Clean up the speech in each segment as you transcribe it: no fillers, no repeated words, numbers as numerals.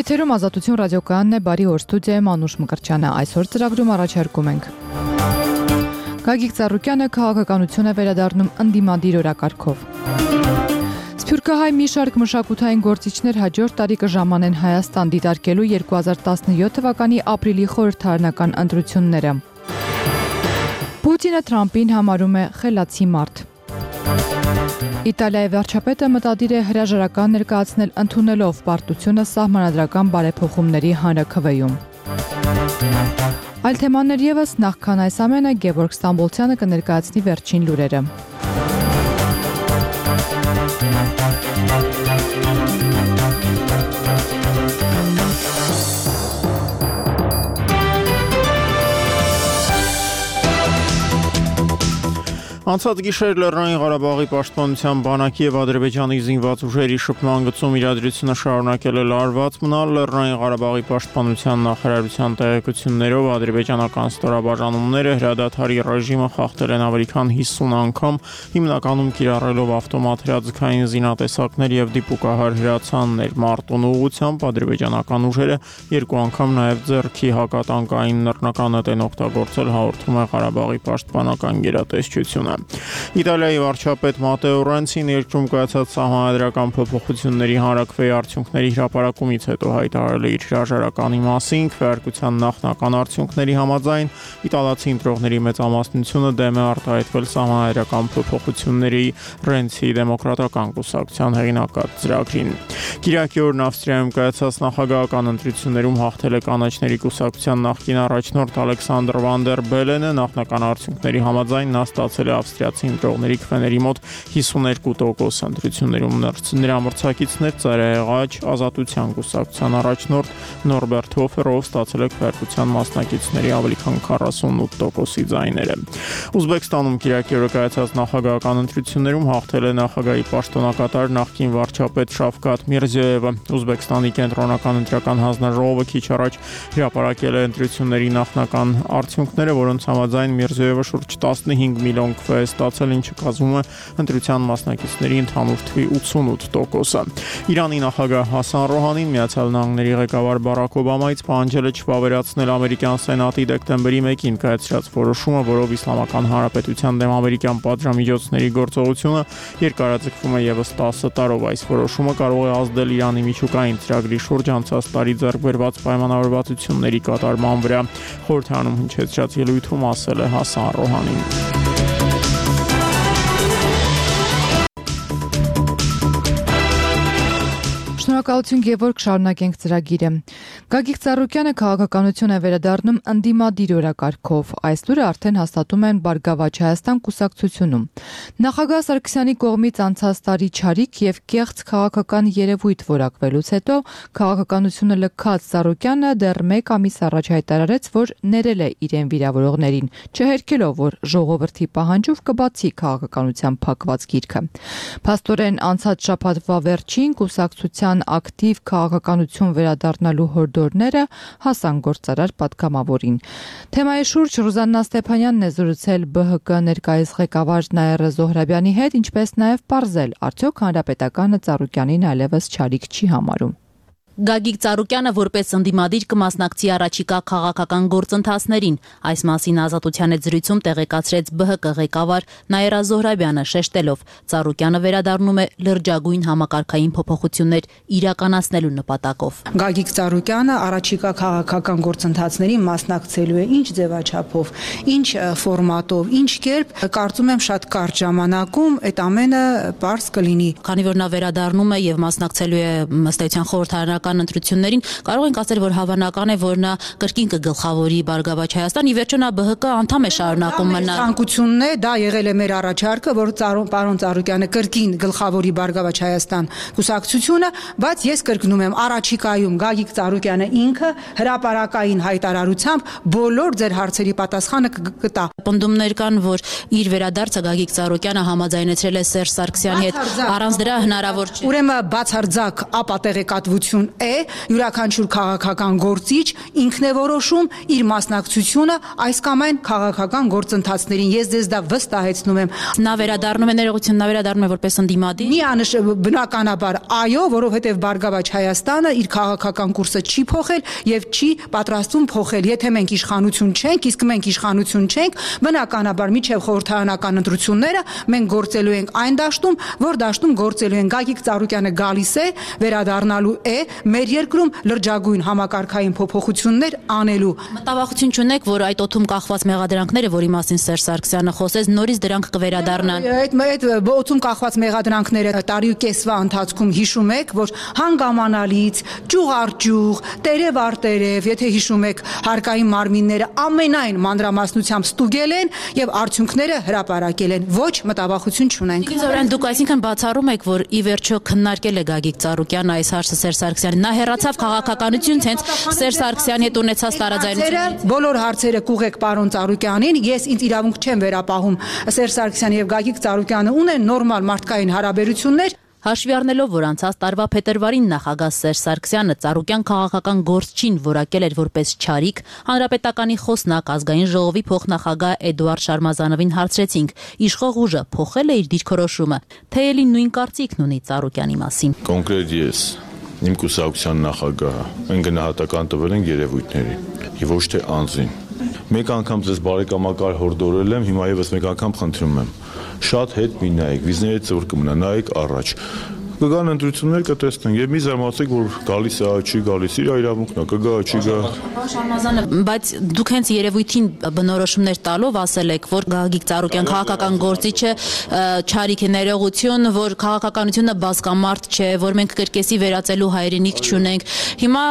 Եթերում Ազատություն ռադիոկայանն է, բարի օր, ստուդիայում Անուշ Մկրտչյանը, այսօր ծրագրում առաջարկում ենք։ Գագիկ Ծառուկյանը քաղաքականություն է վերադառնում ընդդիմադիր օրակարգով։ Սփյուռքահայ մի շարք մշակութային գործիչներ հաջորդ տարի կժամանեն Հայաստան դիտարկելու 2017 թվականի ապրիլի խորհրդարանական ընտրությունները։ Պուտինը Թրամփին համարում է խելացի մարդ։ Իտալիայի վարչապետը մտադիր է հրաժարական ներկայացնել ընդունելով պարտությունը սահմանադրական բարեփոխումների հանրաքվեում։ Այլ թեմաներ ևս, նախքան այս ամենը Գևորգ Ստամբոլցյանը կներկայացնի վերջին լուրերը։ Անցած գիշեր Լեռնային Ղարաբաղի պաշտպանության բանակի եւ Ադրբեջանի զինված ուժերի շփման գծում իրադրությունը շարունակել է լարված մնալ։ Լեռնային Ղարաբաղի պաշտպանության նախարարության տեղեկություններով ադրբեջանական ստորաբաժանումները հրադադարի ռեժիմը խախտել են ավելի քան 50 անգամ, հիմնականում կիրառելով ավտոմատ հրաձգային զինատեսակներ եւ դիպուկահար հրացաններ։ Մարտունու ուղղությամբ ադրբեջանական ուժերը երկու անգամ նաեւ ձեռքի հակատանկային նռնականետ են օգտագործել, հաղորդում է Ղարաբաղի պաշտպանական գերատեսչությունը։ Իտալիայի վարչապետ Մատեո Ռենցին երկրում կայացած սահմանադրական փոփոխությունների հանրաքվեի արդյունքների հրապարակումից հետո հայտարարել է իր հրաժարականի մասին։ Քվեարկության նախնական արդյունքների համաձայն իտալացի ընտրողների մեծամասնությունը դեմ է արտահայտվել սահմանադրական փոփոխությունների Ռենցի դեմոկրատական կուսակցության հեղինակած ծրագրին։ Կիրակի օրն Ավստրիայում կայացած նախագահական ընտրություններում հաղթել է կանաչների կուսակցության նախկին առաջնորդ Ալեքսանդր Վան դեր Բելենը։ Նախնական արդյունքների համաձայն նա ստացել է ավստրիացի ընտրողների քվեների մոտ 52%։ Ընտրություններում նրա մրցակիցներ Ծայրահեղաչ Ազատության կուսակցության առաջնորդ Նորբերտ Հոֆերով ստացել է քվեարկության մասնակիցների ավելի քան 48%-ի ձայները։ Ուզբեկստանում Կիրակի օրը կայացած նախագահական ընտրություններում հաղթել է նախագահի պաշտոնակատար նախկին վարչապետ Շավկաթ Միրզիոևը։ Ուզբեկստանի կենտրոնական ընտրական հանձնաժողովը քիչ առաջ հրապարակել է ընտրությունների նախնական արդյունքները, որոնց համաձայն Միրզիոևը շուրջ 15 միլիոն քվե է ստացել, ինչը կազմում է ընտրության մասնակիցների ընդհանուր թվի 88%-ը։ Իրանի նախագահ Հասան Ռոհանին Միացյալ Նահանգների ղեկավար Բարաք Օբամայից պահանջել է չվավերացնել ամերիկյան սենատի դեկտեմբերի 1-ին կայացրած որոշումը, որով Իսլամական Հանրապետության դեմ ամերիկյան պատժամիջոցների գործողությունը երկարաձգվում է ևս 10 տարով։ Այս որոշումը կարող է ազդել Իրանի միջուկային ծրագրի շուրջ անցած տարի ձեռք բերված պայմանավորվածությունների կատարման վրա, խորհրդարանում հնչեցրած ելույթում ասել է Հասան Ռոհանին։ Շնորհակալություն Գևորգ, շարունակենք ծրագիրը։ Գագիկ Ծառուկյանը քաղաքականություն է վերադառնում ընդդիմադիր օրակարգով։ Այս լուրը արդեն հաստատում են Բարգավաճ Հայաստան կուսակցությունում։ Նախագահ Սարգսյանի կողմից անցած տարի չարիք եւ կեղծ քաղաքական երևույթ որակվելուց հետո քաղաքականությունը լքած Ծառուկյանը դեռ 1 ամիս առաջ հայտարարեց, որ ներել է իրեն վիրավորողներին, չհերքելով, որ ժողովրդի պահանջով կբացի քաղաքականության փակված գիրքը։ Փաստորեն անցած շաբաթվա վերջին կուսակցության ակտիվ քաղաքականություն վերադառնալու հորդորները հասան գործարար պատգամավորին։ Թեմայի շուրջ Ռուզաննա Ստեփանյանն է զրուցել ԲՀԿ ներկայիս ղեկավար Նաիրա Զոհրաբյանի հետ, ինչպես նաև պարզել, արդյոք հանրապետականը Ծառուկյանին այլևս չարիք չի համարում։ Գագիկ Ծառուկյանը որպես ընդդիմադիր կմասնակցի առաջիկա քաղաքական գործընթացներին։ Այս մասին Ազատության հետ զրույցում տեղեկացրեց ԲՀԿ ղեկավար Նաիրա Զոհրաբյանը, շեշտելով, Ծառուկյանը վերադառնում է լրջագույն համակարգային փոփոխություններ իրականացնելու նպատակով։ Գագիկ Ծառուկյանը առաջիկա քաղաքական գործընթացներին մասնակցելու է ինչ ձևաչափով, ինչ ֆորմատով, ինչ կերպ, կարծում եմ շատ կարճ ժամանակում այդ ամենը պարզ կլինի։ Քանի որ նա վերադառնում է եւ մասնակցելու է ըստ էության խորհրդարանական ընտրություններին, կարող ենք ասել, որ հավանական է, որ նա կրկին կգլխավորի Բարգավաճ Հայաստան, ի վերջո նա ԲՀԿ անդամ է շարունակում մնալ։ Ցանկությունն է, դա եղել է մեր առաջարկը, որ պարոն Ծառուկյանը կրկին գլխավորի Բարգավաճ Հայաստան կուսակցությունը, բայց ես կրկնում եմ, առաջիկայում Գագիկ Ծառուկյանը ինքը հրապարակային հայտարարությամբ բոլոր ձեր հարցերի պատասխանը կտա։ Պնդումներ կան, որ իր վերադարձը Գագիկ Ծառուկյանը համաձայնեցրել է Սերժ Սարգսյանի հետ, առանց դրա հնարավոր չէ։ Ուրեմն բացարձակ ապատեղեկատվություն յուրաքանչյուր քաղաքական գործիչ ինքն է որոշում իր մասնակցությունը այս կամ այն քաղաքական գործընթացներին։ Ես դες դա վստահեցնում եմ։ Նա վերադառնում է ներողություն, նա վերադառնում է որպես ընդդիմադիր։ Բնականաբար այո, որովհետև Բարգավաճ Հայաստանը իր քաղաքական կուրսը չի փոխել եւ չի պատրաստվում փոխել։ Եթե մենք իշխանություն չենք, իսկ մենք իշխանություն չենք, բնականաբար միջև խորհրդարանական ընտրությունները մենք գործելու ենք այն դաշտում, որ դաշտում գործելու են։ Գագիկ Ծառուկյանը գալիս է, վերադառնալու է մեր երկրում լրջագույն համակարգային փոփոխություններ անելու։ Մտավախություն չունեք, որ այդ օդում կախված մեղադրանքները, որի մասին Սերժ Սարգսյանը խոսեց, նորից դրանք կվերադառնան։ Այդ օդում կախված մեղադրանքները տարի ու կեսվա ընթացքում հիշում եք, որ հանգամանալից, ճյուղ առ ճյուղ, տերև առ տերև, եթե հիշում եք, հարկային մարմինները ամենայն մանրամասնությամբ ստուգել են եւ արդյունքները հրապարակել են։ Ոչ մտավախություն չունենք։ Զորեն, դուք այսինքն բացառում եք, որ ի վերջո քննարկել է Գագիկ Ծառուկյանը այս հարցը Սերժ Սարգսյանին։ Նա հեռացավ քաղաքականությունից, հենց Սերժ Սարգսյանի հետ ունեցած տարաձայնությունից։ Բոլոր հարցերը կուղեք պարոն Ծառուկյանին, ես ինձ իրավունք չեմ վերապահում։ Սերժ Սարգսյանը եւ Գագիկ Ծառուկյանը ունեն նորմալ մարդկային հարաբերություններ։ Հաշվի առնելով, որ անցած տարվա փետրվարին նախագահ Սերժ Սարգսյանը Ծառուկյան քաղաքական գործչին որակել էր որպես չարիք, հանրապետականի խոսնակ ազգային ժողովի փոխնախագահ Էդուարդ Շարմազանովին հարցրեցինք, իշխող ուժը փոխել է իր դիրքորոշումը, թե էլի նույն կարծիքն ունի Ծառուկյանի մասին։ Կոնկրետ ես, իմ կուսակցության նախագահը, այն գնահատական տվել են երևույթների, եւ ոչ թե անձին։ Մեկ անգամ ձեզ բարեկամակար հորդորել եմ, հիմա եւս մեկ անգամ խնդրում եմ։ Շատ հետ մի նայեք, վիզների ծուր կմնա, նայեք առաջ։ Կգան ընտրություններ կտեսնենք եւ մի զարմացեք, որ գալիս է, չի գալիս, իր իրավունքն է, կգա, չի գա։ Շարմազանը, բայց դուք հենց երևույթին բնորոշումներ տալով ասել եք, որ Գագիկ Ծառուկյան քաղաքական գործիչը չարիք է, ներողություն, որ քաղաքականությունը բազմամարդ չէ, որ մենք կրկեսի վերածելու հայրենիք չունենք։ Հիմա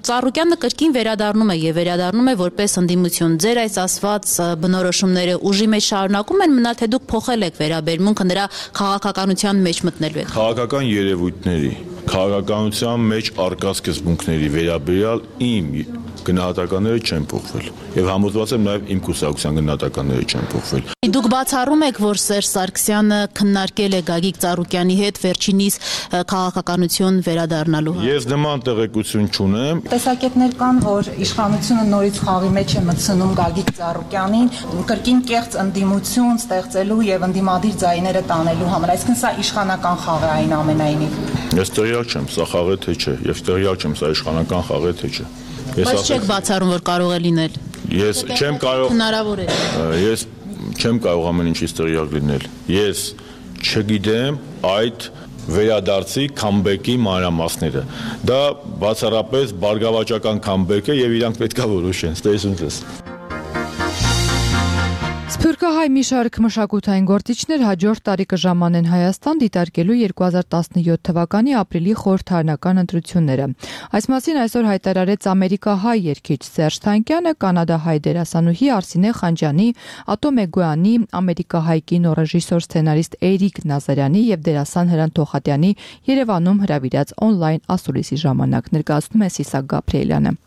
Ծառուկյանը կրկին վերադառնում է եւ վերադառնում է որպես ընդդիմություն։ Ձեր այս ասված բնորոշումները ուժի մեջ շարունակում են մնալ, թե դուք փոխել եք վերաբերմունքը նրա քաղաքականության մեջ մտնելու եք։ Քաղաքական երևույթների, քաղաքականության մեջ առկա սկզբունքների վերաբերյալ իմ գնահատականները չեն փոխվել եւ համոզված եմ նաեւ իմ կուսակցության գնահատականները չեն փոխվել։ Դուք բացառում եք, որ Սերժ Սարգսյանը քննարկել է Գագիկ Ծառուկյանի հետ վերջինիս քաղաքականություն վերադառնալու։ Ես նման տեղեկություն չունեմ։ Տեսակետներ կան, որ իշխանությունը նորից խաղի մեջ է մտցնում Գագիկ Ծառուկյանին, կրկին կեղծ ընդդիմություն ստեղծելու եւ ընդդիմադիր ձայները տանելու համար։ Այսինքն սա իշխանական խաղ է այն ամենայնիվ։ Ես տեղյակ չեմ, սա խաղ է թե չէ, եւ տեղյակ չեմ, սա իշխանական խաղ է թե չէ։ Բայց չեք բացառում, որ կարող է լինել։ Ես չեմ կարող։ Հնարավոր է։ Ես չեմ կարող ամեն ինչից տեղյակ լինել։ Ես չգիտեմ այդ վերադարձի քամբեքի մանրամասները։ Դա բացառապես բարգավաճական քամբեկ է եւ իրանք պետք է որոշեն։ Ստեսուն ձեզ։ Սփյուռքահայ մի շարք մշակութային գործիչներ հաջորդ տարի կժամանեն Հայաստան դիտարկելու 2017 թվականի ապրիլի խորհրդարանական ընտրությունները։ Այս մասին այսօր հայտարարեց ամերիկահայ երգիչ Սերժ Թանկյանը, կանադահայ դերասանուհի Արսինե Խանջյանի, Ատո Մեգոյանի, ամերիկահայ կինոռեժիսոր սցենարիստ Էրիկ Նազարյանի եւ դերասան Հրանտ Թոխատյանի Երևանում հրավիրած on-line ասուլիսի ժամանակ ներկայացնում է Սիսակ Գաբրիելյանը։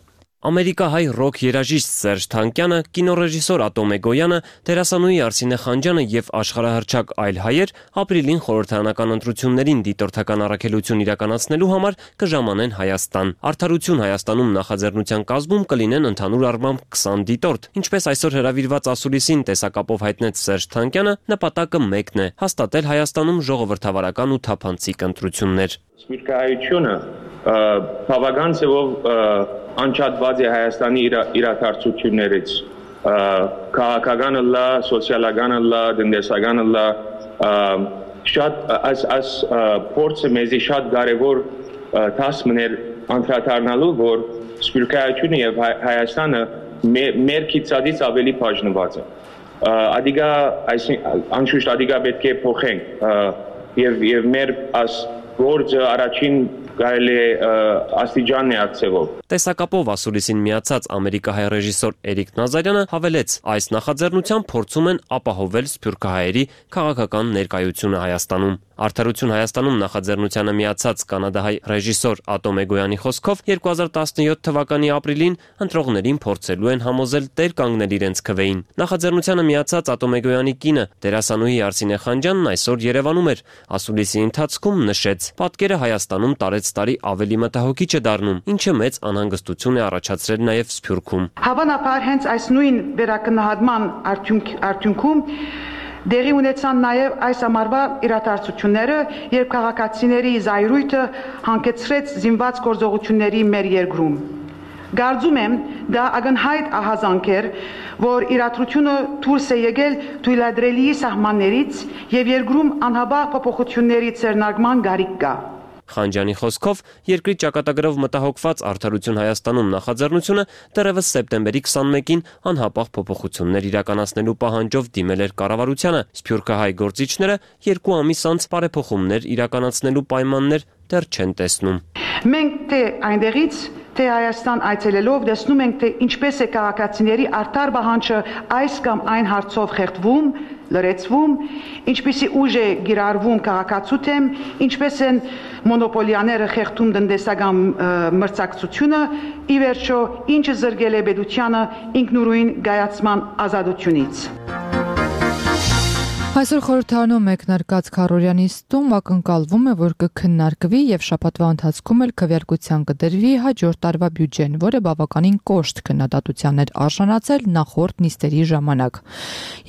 Ամերիկահայ ռոք երաժիշտ Սերժ Թանկյանը, կինոռեժիսոր Ատո Մեգոյանը, դերասանուհի Արսինե Խանջյանը եւ աշխարհահռչակ այլ հայեր ապրիլին խորհրդարանական ընտրություններին դիտորդական առաքելություն իրականացնելու համար կժամանեն Հայաստան։ Արդարություն Հայաստանում նախաձեռնության կազմում կլինեն ընդհանուր առմամբ 20 դիտորդ։ Ինչպես այսօր հրավիրված ասուլիսին տեսակապով հայտնեց Սերժ Թանկյանը, նպատակը մեկն է՝ հաստատել Հայաստանում ժողովրդավարական ու թափանցիկ ընտրություններ։ Սպիրկայությունը բավական ձևով անջատված է Հայաստանի իրադարձություններից, քաղաքականը լա, սոցիալականը լա, տնտեսականը լա, շատ այս փորձը մեզի շատ կարևոր դասմն էր անդրադառնալու, որ սպիրկայությունը եւ Հայաստանը մեր քիծածից ավելի բաժնված է։ Ադիգա անշուշտ ադիգա պետք է փոխենք եւ մեր գործը առաջին կարելի է աստիճան է ակցեվով։ Տեսակապով ասուլիսին միացած ամերիկահայ ռեժիսոր Էրիկ Նազարյանը հավելեց, այս նախաձեռնությամբ փորձում են ապահովել սփյուռքահայերի քաղաքական ներկայությունը Հայաստանում։ Արդարություն Հայաստանում նախաձեռնությանը միացած կանադահայ ռեժիսոր Ատոմ Էգոյանի խոսքով 2017 թվականի ապրիլին ընտրողներին փորձելու են համոզել տեր կանգնել իրենց քվեին։ Նախաձեռնությանը միացած Ատոմ Էգոյանի կինը դերասանուհի Արսինե Խանջյանն այսօր Երևանում էր։ Ասուլիսի ընթացքում նշեց. պատկերը Հայաստանում տարեցտարի ավելի մտահոգիչ է դառնում, ինչը մեծ անհանգստություն է առաջացրել նաև Սփյուռքում։ Հավանաբար հենց այս նույն վերակնահատման արդյունքում դեղի ունեցան նաև այս ամառվա իրադարձությունները, երբ քաղաքացիների զայրույթը հանգեցրեց զինված գործողությունների մեր երկրում։ Կարծում եմ, դա ակնհայտ ահազանգ էր, որ իրադրությունը դուրս է եկել թույլատրելի սահմաններից եւ երկրում անհաբաղ փոփոխությունների ձեռնարկման կարիք կա։ Խանջյանի խոսքով երկրի ճակատագրով մտահոգված Արդարություն Հայաստանում նախաձեռնությունը դեռևս սեպտեմբերի 21-ին անհապաղ փոփոխություններ իրականացնելու պահանջով դիմել էր կառավարությանը։ Սփյուռքահայ գործիչները 2 ամիս անց բարեփոխումներ իրականացնելու պայմաններ դեռ չեն տեսնում։ Մենք թե այնտեղից թե Հայաստան այցելելով տեսնում ենք, թե ինչպես է քաղաքացիների արդար պահանջը այս կամ այն հարցով խեղդվում, լրացվում, ինչպեսի ուժ է գիրառվում քաղաքացու դեմ, ինչպես են մոնոպոլիաները խեղդում տնտեսական մրցակցությունը, ի վերջո ինչը զրկել է պետությանը ինքնուրույն կայացման ազատությունից։ Այսօր խորհրդարանում մեկնարկած քառօրյա նիստում ակնկալվում է, որ կքննարկվի եւ շաբաթվա ընթացքում էլ քվեարկության կդրվի հաջորդ տարվա բյուջեն, որը բավականին կոշտ քննադատության էր արժանացել նախորդ նիստերի ժամանակ։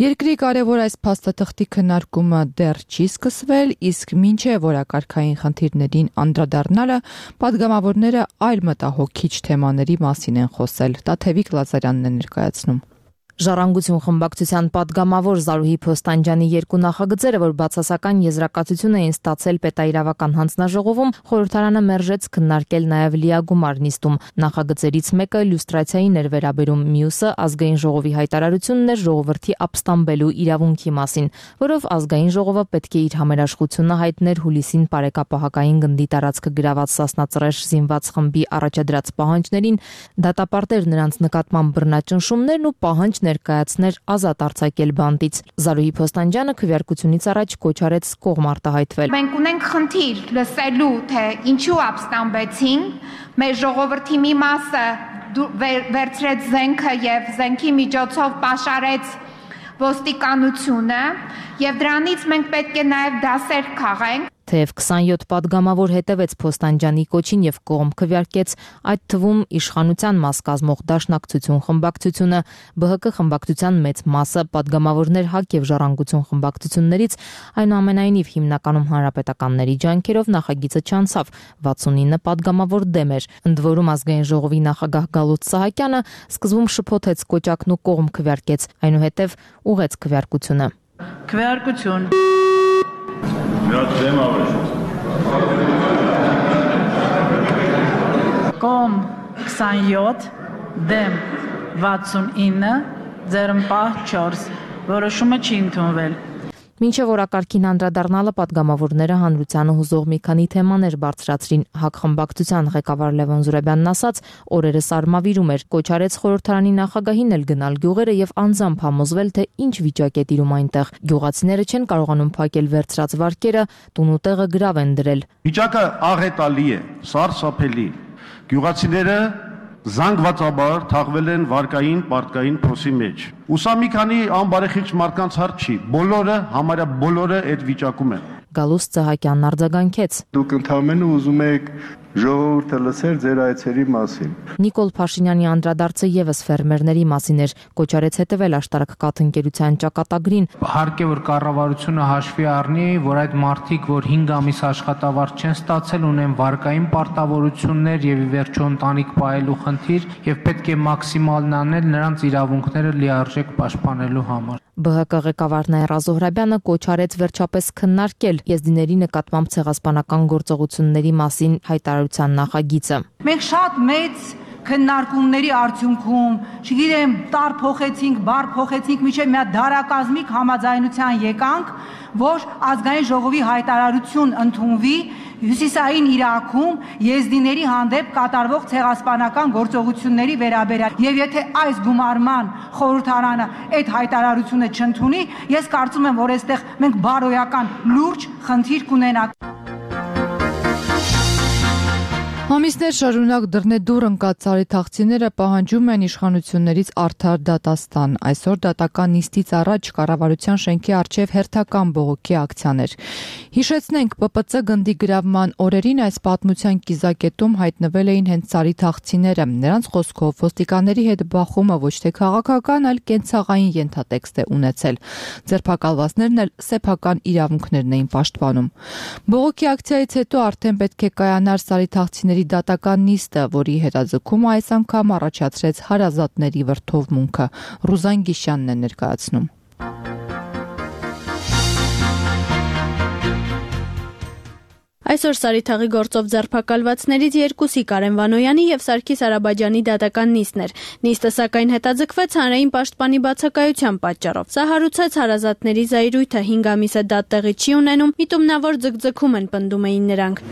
Երկրի կարևոր այս փաստաթղթի քննարկումը դեռ չի սկսվել, իսկ մինչև օրակարգային խնդիրներին անդրադառնալը պատգամավորները այլ մտահոգիչ թեմաների մասին են խոսել։ Տաթևիկ Լազարյանն է ներկայացնում։ Ժառանգություն խմբակցության падգամավոր Զարուհի Փոստանջյանի երկու նախագծերը, որ բացասական եզրակացություն էին ստացել պետաիրավական հանձնաժողովում, խորհրդարանը մերժեց քննարկել նաև լիագումար նիստում։ Նախագծերից մեկը լյուստրացիային էր վերաբերում, մյուսը ազգային ժողովի հայտարարությունն էր ժողովրդի ապստամբելու իրավունքի մասին, որով ազգային ժողովը պետք է իր համերաշխությունը հայտներ հուլիսին Պարեկապահակային գնդի տարածքը գրաված Սասնածռեր զինված խմբի առաջադրած պահանջներին, դատապարտեր նրանց նկատմամբ բռնաճնշումներն ու պահանջ ներկայացներ ազատ արձակել բանտից։ Զարուհի Փոստանջյանը քվեարկությունից առաջ կոչ արեց կողմ արտահայտվել։ Մենք ունենք խնդիր լսելու, թե ինչու ապստամբեցին, մեր ժողովրդի մի մասը վերցրեց զենքը եւ զենքի միջոցով պաշարեց ոստիկանությունը եւ դրանից մենք պետք է նաեւ դասեր քաղենք։ Թեև 27 падգամավոր հետևեց Փոստանջյանի կոչին եւ կողմ քվեարկեց, այդ թվում իշխանության մաս կազմող Դաշնակցություն խմբակցությունը, ԲՀԿ խմբակցության մեծ մասը, падգամավորներ ՀԱԿ եւ Ժառանգություն խմբակցություններից, այնուամենայնիվ հիմնականում հանրապետականների ջանքերով նախագիծը չանցավ, 69 падգամավոր դեմ էր։ Ընդ որում ազգային ժողովի նախագահ Գալուտ Սահակյանը սկզբում շփոթեց կոճակն ու կողմ քվեարկեց, այնուհետև ուղեց քվեարկությունը։ Քվեարկություն Կողմ 27, դեմ 69, ձեռնպահ 4, որոշումը չի ընդունվել։ Մինչև օրակարգին անդրադառնալը падգամավորները հանրությանը հուզող մի քանի թեմաներ բարձրացրին։ ՀԱԿ խմբակցության ղեկավար Լևոն Զուրաբյանն ասաց, օրերս արմավիրում էր, կոչ արեց խորհրդարանի նախագահին էլ գնալ գյուղերը եւ անձամբ համոզվել, թե ինչ վիճակ է տիրում այնտեղ։ Գյուղացիները չեն կարողանում փակել վերցրած վարկերը, տուն ու տեղը գրավ են դրել։ Վիճակը աղետալի է, սարսափելի։ Գյուղացիները զանգվածաբար թաղվել են վարկային պարտկային փոսի մեջ։ Ու սա մի քանի անբարեխիղճ մարդկանց հարց չի, բոլորը, համարյա բոլորը այդ վիճակում են։ Գալուստ Սահակյանն արձագանքեց։ Դուք ընդհանրապես ուզում եք ժողովուրդը լսել ձեր այցերի մասին։ Նիկոլ Փաշինյանի անդրադարձը եւս ֆերմերների մասին էր, կոչ արեց հետևել աշտարակ կաթընկերության ճակատագրին։ Հարկ է որ կառավարությունը հաշվի առնի, որ այդ մարդիկ, որ 5 ամիս աշխատավարձ չեն ստացել, ունեն վարկային պարտավորություններ եւ ի վերջո ընտանիք պահելու խնդիր եւ պետք է մաքսիմալն անել նրանց իրավունքները լիարժեք պաշտպանելու համար։ ԲՀԿ ղեկավար Նաիրա Զոհրաբյանը կոչ արեց վերջապես քննարկել եզդիների նկատմամբ ցեղասպանական գործողությունների մասին հայտարարության նախագիծը։ Մենք շատ մեծ քննարկումների արդյունքում, չգիտեմ, տար փոխեցինք, բար փոխեցինք, միջև մի հատ դարակազմիկ համաձայնության եկանք, որ ազգային ժողովի հայտարարություն ընդունվի Հյուսիսային Իրաքում եզդիների հանդեպ կատարվող ցեղասպանական գործողությունների վերաբերյալ եւ եթե այս գումարման խորհրդարանը այդ հայտարարությունը չընդունի, ես կարծում եմ, որ այստեղ մենք բարոյական լուրջ խնդիր կունենանք։ Ամիսներ շարունակ դռնեդուռ ընկած սարիթաղցիները պահանջում են իշխանություններից արդար դատաստան։ Այսօր դատական նիստից առաջ կառավարության շենքի առջև հերթական բողոքի ակցիաներ։ Հիշեցնենք, ՊՊՑ գնդի գրավման օրերին այս պատմության կիզակետում հայտնվել էին հենց սարիթաղցիները։ Նրանց խոսքով ոստիկանների հետ բախումը ոչ թե քաղաքական, այլ կենցաղային ենթատեքստ է ունեցել։ Ձերբակալվածներն էլ սեփական իրավունքներն էին պաշտպանում։ Բողոքի ակցիայից հետո արդեն պետք է կայանար սարիթաղցիների դատական նիստը, որի հետաձգումը այս անգամ առաջացրեց հարազատների վրդովմունքը։ Ռուզան Գիշյանն է ներկայացնում։ Այսօր Սարիթաղի գործով ձերբակալվածներից երկուսի Կարեն Վանոյանի եւ Սարգիս Արաբաջանի դատական նիստն էր։ Նիստը սակայն հետաձգվեց հանրային պաշտպանի բացակայության պատճառով։ Սա հարուցեց հարազատների զայրույթը 5 ամիս է դատ տեղի չի ունենում, միտումնավոր ձգձգում են պնդում էին նրանք։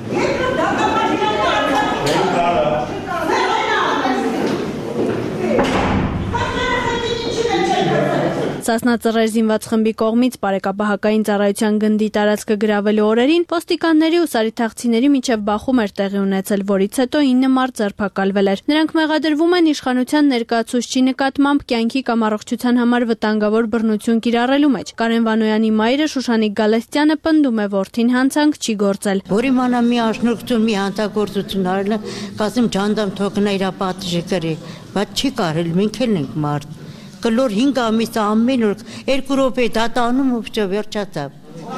Սասնա Ծռեր զինված խմբի կողմից բարեկապահական ծառայության գնդի տարածքը գրավելու օրերին ոստիկանների ու սարիթաղցիների միջև բախում էր տեղի ունեցել, որից հետո 9 մարդ ձերբակալվել էր։ Նրանք մեղադրվում են իշխանության ներկայացուցչի նկատմամբ կյանքի կամ առողջության համար վտանգավոր բռնություն կիրառելու մեջ։ Կարեն Վանոյանի մայրը Շուշանիկ Գալստյանը պնդում է, որդին հանցանք չի գործել։ Որի մանա մի աշնորհություն, մի հանցագործություն արել, կասեմ ջանդամ թողնա իր պատժի գրի, բայց չի կարել, մենք էլ ենք մարդ։ Կլոր 5 ամիս ամեն օր 2 րոպե դատանում ու վերջացավ։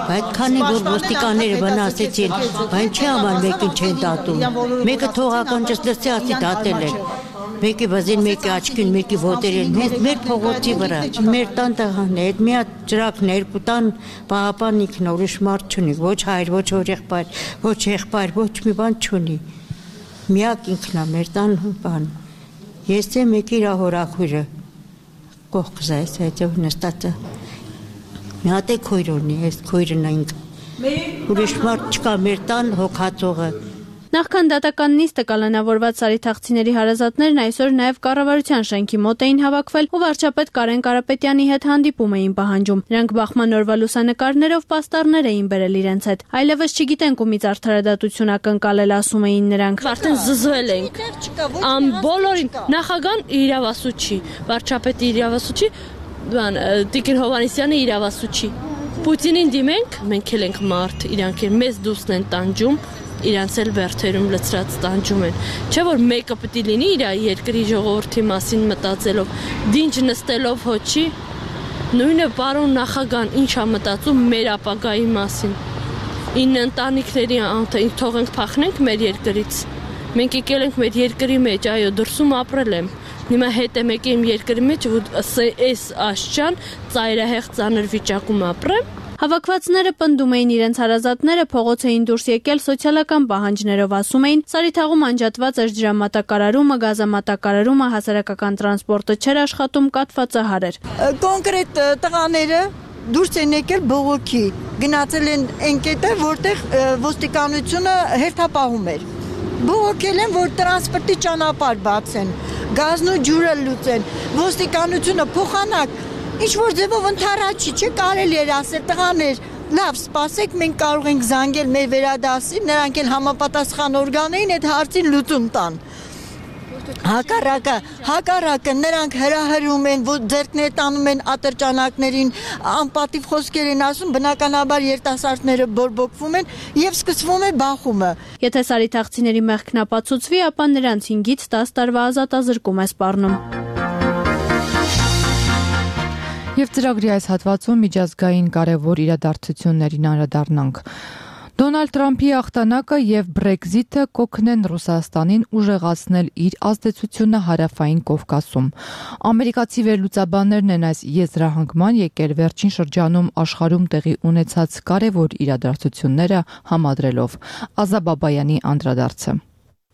Բայց քանի որ ոստիկանները վնասեցին, բան չի աման մեկին չեն դատում։ Մեկը թողական ճստացի ասի դատել են։ Մեկի վազին, մեկի աչքին, մեկի ոտերին, մեր փողոցի վրա, մեր տան տղաներ, մի հատ ջրակն երկու տան պահապան ինքն ուրիշ մարդ չունի, ոչ հայր, ոչ եղբայր, ոչ եղբայր, ոչ մի բան չունի։ Միակ ինքն է մեր տան բան։ Ես եմ մեկի իր հորաքույրը։ Կողքս այս հետո նստած է։ Մի հատ է քույր ունի, այս քույրն ենք։ Ուրիշ մարդ չկա մեր տան հոգացողը։ Նախքան դատական նիստը կալանավորված սարիթաղցիների հարազատներն այսօր նաև կառավարության շենքի մոտ էին հավաքվել ու վարչապետ Կարեն Կարապետյանի հետ հանդիպում էին պահանջում։ Նրանք բախման օրվա լուսանկարներով պաստառներ էին բերել իրենց հետ։ Այլևս չգիտենք ումից արդարադատություն ակնկալել, ասում էին նրանք։ Արդեն զզվել ենք։ Բոլորին նախագահան իրավասուչի, վարչապետի իրավասուչի, Տիկին Հովհաննիսյանը իրավասուչի։ Պուտինին դիմենք, մենք էլ ենք մարդ, իրանք էլ մեզ դուսն են տանջում, իրանց էլ բերթերում լցրած տանջում են։ Չէ որ մեկը պետք է լինի իր երկրի ժողովրդի մասին մտածելով, դինջ նստելով հոչի, նույնը պարոն նախագահան ինչ է մտածում մեր ապագայի մասին։ 9 ընտանիքների թողենք փախնենք մեր երկրից։ Մենք եկել ենք մեր երկրի մեջ, այո, դրսում ապրել եմ։ Հիմա հետ եմ եկել իմ երկրի մեջ, որ այս աշճան ծայրահեղ ծանր վիճակում ապրեմ։ Հավաքվածները պնդում էին իրենց հարազատները փողոց էին դուրս եկել սոցիալական պահանջներով, ասում էին Սարիթաղում անջատված էր ջրամատակարարումը, գազամատակարարումը, հասարակական տրանսպորտը չէր աշխատում, կաթվածահար էր։ Կոնկրետ տղաները դուրս են եկել բողոքի, գնացել են ընկետը, որտեղ ոստիկանությունը հերթապահում էր։ Բողոքել են, որ տրանսպորտի ճանապարհ բացեն, գազն ու ջուրը լուծեն, ոստիկանությունը փոխանակ ինչ որ ձևով ընթառաջի, չէ կարելի էր ասել տղաներ, լավ սպասեք, մենք կարող ենք զանգել մեր վերադասին, նրանք էլ համապատասխան օրգաններին այդ հարցին լուծում տան։ Հակառակը նրանք հրահրում են, ձեռքներ տանում են ատրճանակներին, անպատիվ խոսքեր են ասում, բնականաբար երիտասարդները բորբոքվում են եւ սկսվում է բախումը։ Եթե սարիթաղցիների մեղքն ապացուցվի, ապա նրանց 5-ից 10 տարվա ազատազրկում է սպառնում։ Եվ ծրագրի այս հատվածում միջազգային կարևոր իրադարձություններին անդրադառնանք։ Դոնալդ Թրամփի հաղթանակը եւ Բրեքզիթը կօգնեն Ռուսաստանին ուժեղացնել իր ազդեցությունը հարավային Կովկասում։ Ամերիկացի վերլուծաբաններն են այս եզրահանգման եկել վերջին շրջանում աշխարհում տեղի ունեցած կարևոր իրադարձությունները համադրելով։ Ազա Բաբայանի անդրադարձը։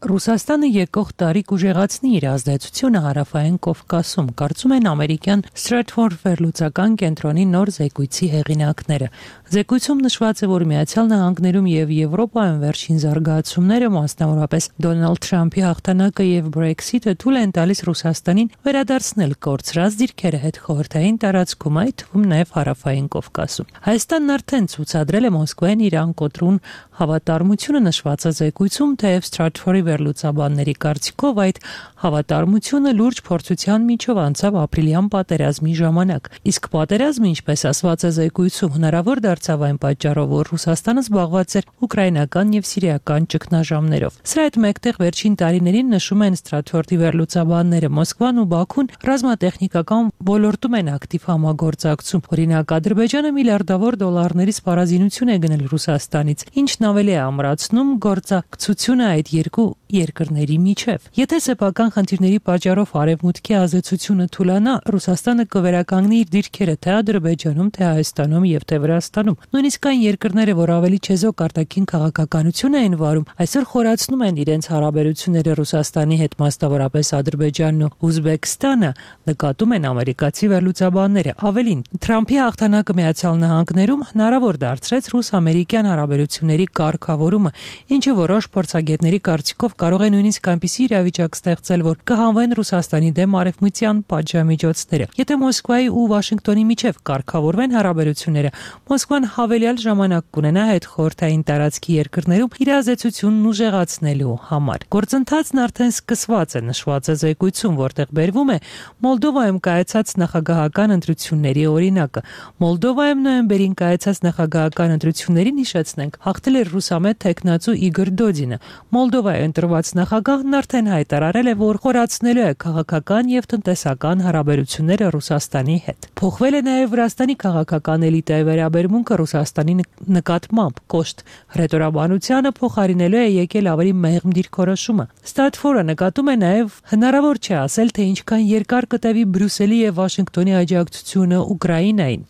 Ռուսաստանը եկող տարի կուժեղացնի իր ազդեցությունը հարավային Կովկասում, կարծում են ամերիկյան Stratfor վերլուծական կենտրոնի նոր զեկույցի հեղինակները։ Զեկույցում նշված է, որ Միացյալ Նահանգներում եւ Եվրոպայում վերջին զարգացումները, մասնավորապես Դոնալդ Թրամփի հաղթանակը եւ Brexit-ը թույլ են տալիս Ռուսաստանին վերադարձնել կորցրած դիրքերը հետխորհրդային տարածքում, այդ թվում նաեւ հարավային Կովկասում։ Հայաստանն արդեն ցուցադրել է Մոսկվային Իրան կոտրուն հավատարմությունը նշված է զեկույցում, թեև Stratfor-ի վերլուծաբանների կարծիքով այդ հավատարմությունը լուրջ փորձության միջով անցավ ապրիլյան պատերազմի ժամանակ։ Իսկ պատերազմը, ինչպես ասված է զեկույցում, հնարավոր դարձավ այն պատճառով, որ Ռուսաստանը զբաղված էր ուկրաինական եւ սիրիական ճգնաժամերով։ Սրա հետ մեկտեղ վերջին տարիներին նշում են Stratfor-ի վերլուծաբանները, Մոսկվան ու Բաքուն ռազմատեխնիկական ոլորտում են ակտիվ համագործակցում։ Օրինակ, Ադրբեջանը միլիարդավոր դոլարների սպառազինություն է գնել Ռուսաստանից, ինչն ավելի է ամրացնում գործակցությունը այդ երկու երկրների միջև։ Եթե սեփական խնդիրների պատճառով արևմուտքի ազդեցությունը թուլանա, Ռուսաստանը կվերականգնի իր դիրքերը թե Ադրբեջանում, թե Հայաստանում եւ թե Վրաստանում։ Նույնիսկ այն երկրները, որ ավելի չեզոք արտաքին քաղաքականություն էին վարում, այսօր խորացնում են իրենց հարաբերությունները Ռուսաստանի հետ, մասնավորապես Ադրբեջանն ու Ուզբեկստանը, նկատում են ամերիկացի վերլուծաբանները։ Ավելին, Թրամփի հաղթանակը Միացյալ Նահանգներում հնարավոր դարձրեց ռուս-ամերիկյան հարաբերությունների կարգավորումը, ինչը որոշ փորձագետների կարծիքով կարող է նույնիսկ այնպիսի իրավիճակ ստեղծել, որ կհանվեն Ռուսաստանի դեմ արևմտյան պատժամիջոցները։ Եթե Մոսկվայի ու Վաշինգտոնի միջև կարգավորվեն հարաբերությունները, Մոսկվան հավելյալ ժամանակ կունենա հետխորհրդային տարածքի երկրներում իր ազդեցությունն ուժեղացնելու համար։ Գործընթացն արդեն սկսված է, նշված է զեկույցում, որտեղ բերվում է Մոլդովայում կայացած նախագահական ընտրությունների օրինակը։ Մոլդովայում նոյեմբերին կայացած նախագահական ընտրություններին, հիշեցնենք, հաղթել էր ռուսամետ թեկնածու Իգոր Դոդինը։ Մոլդովայի ընտրված նախագահն արդեն հայտարարել է, որ խորացնելու է քաղաքական եւ տնտեսական հարաբերությունները Ռուսաստանի հետ։ Փոխվել է նաեւ Վրաստանի քաղաքական էլիտայի վերաբերմունքը Ռուսաստանի նկատմամբ, կոշտ հռետորաբանությանը փոխարինելու է եկել ավելի մեղմ դիրքորոշումը։ Stratfor-ը նկատում է նաեւ հնարավոր չէ ասել, թե ինչքան երկար կտևի Բրյուսելի եւ Վաշինգտոնի աջակցությունը Ուկրաինային։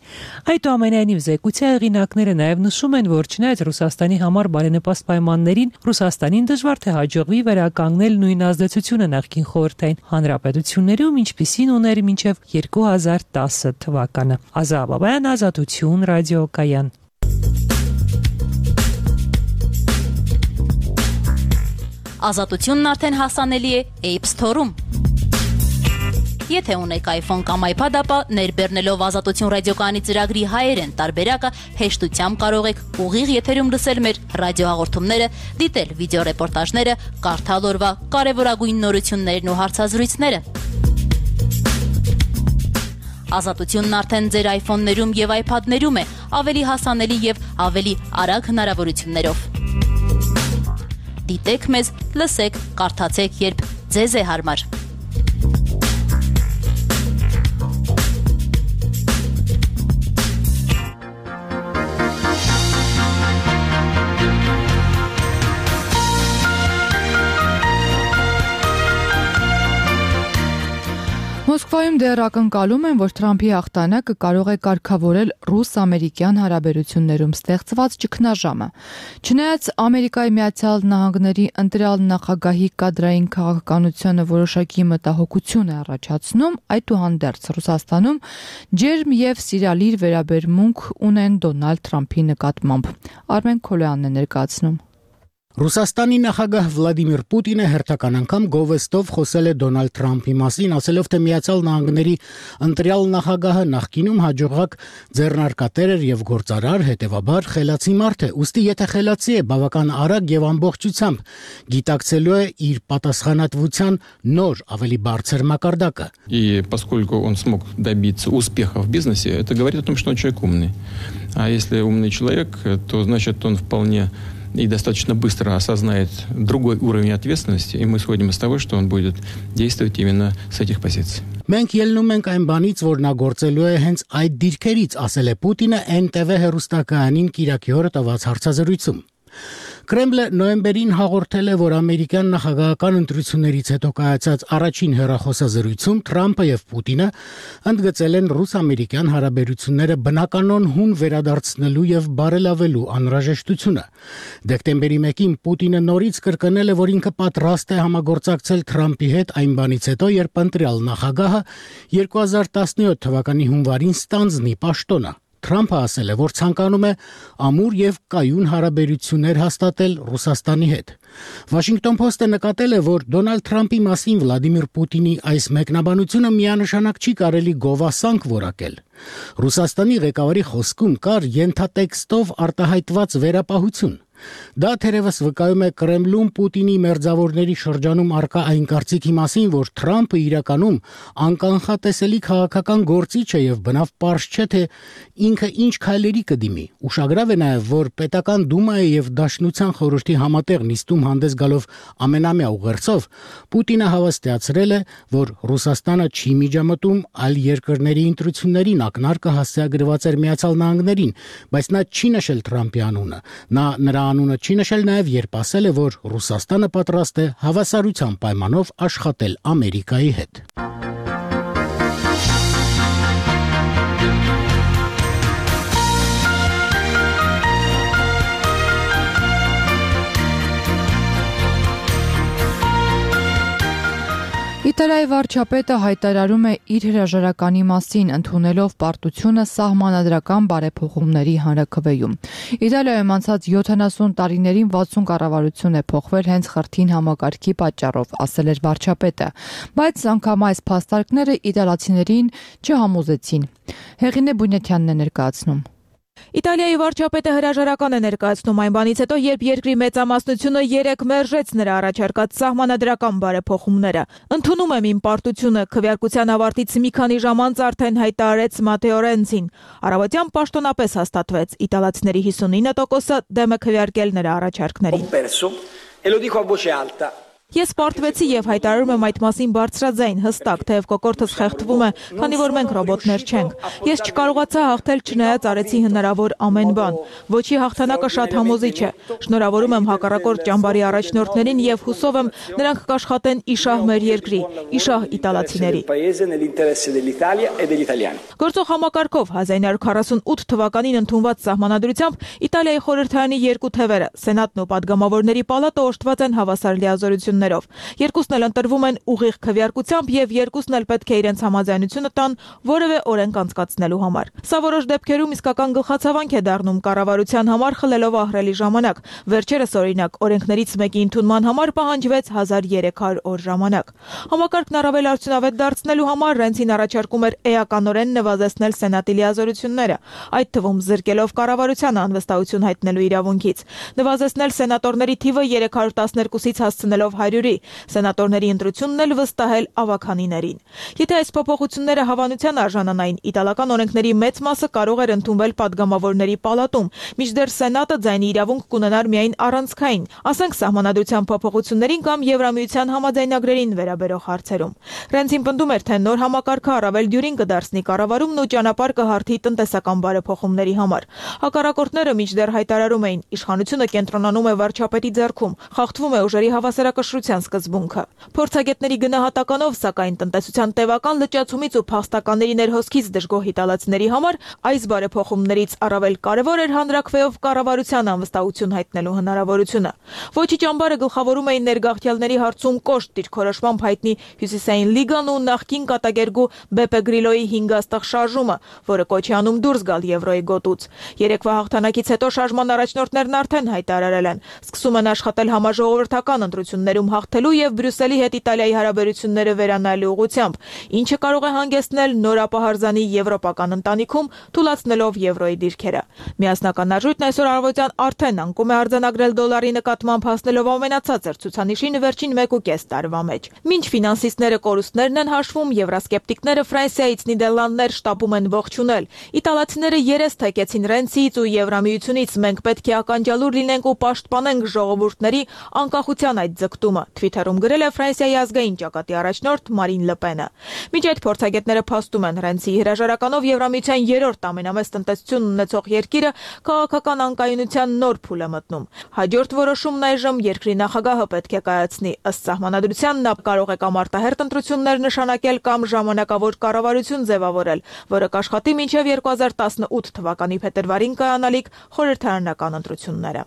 Այդուամենայնիվ զեկույցի հեղինակները նաեւ նշում են, որ չնայած Ռուսաստանի համար բարենպաստ պայմաններին, Ռուսաստանին դժվար թե հաջողվի վերականգնել նույն ազդեցությունը նախկին խորհրդային հանրապետություններում, ինչպիսին ուներ մինչև 2010 թվականը։ Ազա Բաբայան, Ազատություն, ռադիոկայան։ Ազատությունն արդեն հասանելի է App Store-ում։ Եթե ունեք iPhone կամ iPad, ապա ներբեռնելով Ազատություն ռադիոկայանի ծրագրի հայերեն տարբերակը հեշտությամբ կարող եք ուղիղ եթերում լսել մեր ռադիոհաղորդումները, դիտել վիդեոռեպորտաժները, կարդալ օրվա կարևորագույն նորություններն ու հարցազրույցները։ Ազատությունն արդեն ձեր iPhone-ներում եւ iPad-ներում է, ավելի հասանելի եւ ավելի արագ հնարավորություններով։ Դիտեք մեզ, լսեք, կարդացեք, երբ ձեզ է հարմար։ Մոսկվայում դեռ ակնկալում են, որ Թրամփի հաղթանակը կարող է կարգավորել ռուս-ամերիկյան հարաբերություններում ստեղծված ճգնաժամը։ Չնայած Ամերիկայի Միացյալ Նահանգների ընտրյալ նախագահի կադրային քաղաքականությունը որոշակի մտահոգություն է առաջացնում, այդուհանդերձ Ռուսաստանում ջերմ եւ սիրալիր վերաբերմունք ունեն Դոնալդ Թրամփի նկատմամբ։ Արմեն Քոլոյանն է ներկայացնում։ Ռուսաստանի նախագահ Վլադիմիր Պուտինը հերթական անգամ գովեստով խոսել է Դոնալդ Թրամփի մասին, ասելով, թե Միացյալ Նահանգների ընտրյալ նախագահը նախկինում հաջողակ ձեռնարկատեր էր եւ գործարար, հետեւաբար խելացի մարդ է։ Ուստի եթե խելացի է, բավական արագ եւ ամբողջությամբ գիտակցելու է իր պատասխանատվության նոր, ավելի բարձր մակարդակը։ И поскольку он смог добиться успеха в бизнесе, это говорит о том, что он человек умный. А если умный человек, то значит он вполне и достаточно быстро осознает другой уровень ответственности, и мы исходим из того, что он будет действовать именно с этих позиций. Մենք ելնում ենք այն բանից, որ նա գործելու է հենց այդ դիրքերից, ասել է Պուտինը NTV հեռուստակայանին Կիրակի օրը տված հարցազրույցում։ Կրեմլը նոյեմբերին հաղորդել է, որ ամերիկյան նախագահական ընտրություններից հետո կայացած առաջին հեռախոսազրույցում Թրամփը եւ Պուտինը ընդգծել են ռուս-ամերիկյան հարաբերությունները բնականon հուն վերադարձնելու եւ բարելավելու անհրաժեշտությունը։ Դեկտեմբերի 1-ին Պուտինը նորից կրկնել է, որ ինքը պատրաստ է համագործակցել Թրամփի հետ այն բանից հետո, երբ ընտրյալ նախագահը 2017 թվականի հունվարին ստանձնի պաշտոնը։ Թրամփը ասել է, որ ցանկանում է ամուր եւ կայուն հարաբերություններ հաստատել Ռուսաստանի հետ։ Washington Post-ը նկատել է, որ Դոնալդ Թրամփի մասին Վլադիմիր Պուտինի այս մեկնաբանությունը միանշանակ չի կարելի գովասանք որակել։ Ռուսաստանի ղեկավարի խոսքում կար ենթատեքստով արտահայտված վերապահություն։ Դա թերևս վկայում է Կրեմլում Պուտինի մերձավորների շրջանում արկա այն կարծիքի մասին, որ Թրամփը իրականում անկանխատեսելի քաղաքական գործիչ է եւ բնավ պարզ չէ, թե ինքը ինչ քայլերի կդիմի։ Ուշագրավ է նաեւ, որ պետական դումայի եւ Դաշնության խորհրդի համատեղ նիստում հանդես գալով ամենամյա ուղերձով Պուտինը հավաստիացրել է, որ Ռուսաստանը չի միջամտում այլ երկրների ընտրություններին, ակնարկը հասցեագրված էր Միացյալ Նահանգներին, բայց նա չի նշել Թրամփի անունը։ Նա նրա անունը չի նշել նաև, երբ ասել է, որ Ռուսաստանը պատրաստ է հավասարության պայմանով աշխատել Ամերիկայի հետ։ Իտալիայի վարչապետը հայտարարում է իր հրաժարականի մասին, ընդունելով պարտությունը սահմանադրական բարեփոխումների հանրաքվեում։ Իտալիայում անցած 70 տարիներին 60 կառավարություն է փոխվել հենց խրթին համակարգի պատճառով, ասել էր վարչապետը, բայց անգամ այս փաստարկները իտալացիներին չհամոզեցին։ Հեղինե Բունյաթյանն է ներկայացնում։ Իտալիայի վարչապետը հրաժարական է ներկայացնում այն բանից հետո, երբ երկրի մեծամասնությունը 3 մերժեց նրա առաջարկած սահմանադրական բարեփոխումները։ Ընդունում եմ իմ պարտությունը, քվեարկության ավարտից մի քանի ժամ անց արդեն հայտարարեց Մատեո Ռենցին։ Առավոտյան պաշտոնապես հաստատվեց, իտալացիների 59%-ը դեմ է քվեարկել նրա առաջարկներին։ Ես պարտվեցի եւ հայտարարում եմ այդ մասին բարձրաձայն, հստակ, թեև կոկորդս խեղդվում է, քանի որ մենք ռոբոտներ չենք։ Ես չկարողացա հաղթել, չնայած արեցի հնարավոր ամեն բան։ Ոչի հաղթանակը շատ համոզիչ է։ Շնորհավորում եմ հակառակորդ ճամբարի առաջնորդներին եւ հուսով եմ նրանք կաշխատեն իշահ մեր երկրի, իշահ իտալացիների։ Գործող համակարգով 1948 թվականին ընդունված սահմանադրությամբ Իտալիայի խորհրդարանի 2 թևերը, Սենատն ու Պատգամավորների պալատը օժտված են հավասար լիազորություն։ Երկուսն էլ ընտրվում են ուղիղ քվեարկությամբ եւ երկուսն էլ պետք է իրենց համաձայնությունը տան որևէ օրենք անցկացնելու համար։ Սա որոշ դեպքերում իսկական գլխացավանք է դառնում կառավարության համար խլելով ահռելի ժամանակ։ Վերջերս օրինակ օրենքներից մեկի ընդունման համար պահանջվեց 1300 օր ժամանակ։ Համակարգն առավել արդյունավետ դարձնելու համար Ռենցին առաջարկում էր էականորեն նվազեցնել սենատի լիազորությունները, այդ թվում զրկելով կառավարությանը անվստահություն հայտնելու իրավունքից։ Նվազեցնել սենատորների թիվը 312-ից հասցնելով 100-ի, սենատորների ընտրությունն էլ վստահել ավականիներին։ Եթե այս փոփոխությունները հավանության արժանանային, իտալական օրենքների մեծ մասը կարող էր ընդունվել падգամավորների պալատում, մինչդեռ սենատը ձայնի իրավունք կունենար միայն առանցքային, ասենք սահմանադրության փոփոխություններին կամ Եվրամիության համաձայնագրերին վերաբերող հարցերում։ Ռենցին պնդում էր, թե նոր համակարգը առավել դյուրին կդարձնի կառավարումն ու ճանապարհ կհարթի տնտեսական բարեփոխումների համար։ Հակառակորդները մինչդեռ հայտարարում էին, իշխանությունը կենտրոնանում է վարչապետի ձեռքում, խախտվում է ուժերի հավասարակշռության սկզբունքը։ Փորձագետների գնահատականով, սակայն տնտեսության տևական լճացումից ու փախստականների ներհոսքից դժգոհ իտալացիների համար այս բարեփոխումներից առավել կարևոր էր հանրաքվեով կառավարության անվստահություն հայտնելու հնարավորությունը։ Ոչի ճամբարը գլխավորում էին ներգաղթյալների հարցում կոշտ դիրքորոշմամբ հայտնի Հյուսիսային լիգան ու նախկին կատակերգու Բեպե Գրիլոյի 5 աստղ շարժումը, որը կոչ է անում դուրս գալ եվրոյի գոտուց։ Երեկվա հաղթանակից հետո շարժման առաջնորդներն արդեն հայտարարել են, սկսում են աշխատել համաժողովրդական ընտրություններում հաղթելու եւ Բրյուսելի հետ Իտալիայի հարաբերությունները վերանայելու ուղղությամբ, ինչը կարող է հանգեցնել նոր ապահարզանի եվրոպական ընտանիքում, թուլացնելով եվրոյի դիրքերը։ Միասնական արժույթն այսօր առավոտյան արդեն անկում է արձանագրել դոլարի նկատմամբ հասնելով ամենացածր ցուցանիշին վերջին 1.5 տարվա մեջ։ Մինչ ֆինանսիստները կորուստներն են հաշվում, եվրասկեպտիկները Ֆրանսիայից Նիդերլանդներ շտապում են ողջունել։ Իտալացիները երես թեքեցին Ռենցիից ու Եվրամիությունից, մենք պետք է ականջալուր լինենք ու պաշտպանենք ժողովուրդների անկախության այդ ձգտումը։ փոխհատուցումը, Twitter-ում գրել է Ֆրանսիայի ազգային ճակատի առաջնորդ Մարին Լպենը։ Մինչ այդ փորձագետները փաստում են Ռենցիի հրաժարականով Եվրամիության 3-րդ ամենամեծ տնտեսություն ունեցող երկիրը քաղաքական անկայունության նոր փուլ է մտնում։ Հաջորդ որոշումն այժմ երկրի նախագահը պետք է կայացնի։ Ըստ սահմանադրության նա կարող է կամ արտահերթ ընտրություններ նշանակել կամ ժամանակավոր կառավարություն ձևավորել, որը կաշխատի մինչև 2018 թվականի փետրվարին կայանալիք խորհրդարանական ընտրությունները։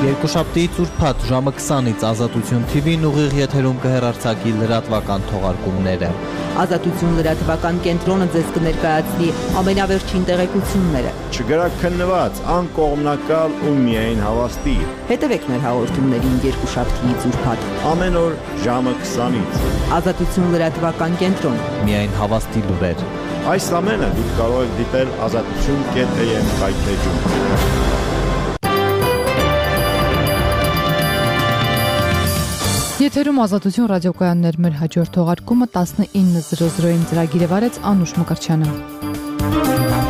Երկուշաբթիից ուրբաթ ժամը 20-ից Ազատություն TV-ն ուղիղ եթերում կհեռարձակի լրատվական թողարկումները։ Ազատություն լրատվական կենտրոնը ձեզ կներկայացնի ամենավերջին տեղեկությունները։ Չգրակ քննված, անկողմնակալ ու միայն հավաստի։ Հետևեք մեր հաղորդումներին երկուշաբթիից ուրբաթ ամեն օր ժամը 20-ից։ Ազատություն լրատվական կենտրոն, միայն հավաստի լուրեր։ Այս ամենը դուք կարող եք դիտել azatutun.am կայքեջում։ Եթերում Ազատություն ռադիոկայաններ մեր հաջորդ թողարկումը 19:00-ին ծրագիրը վարեց Անուշ Մկրտչյանը։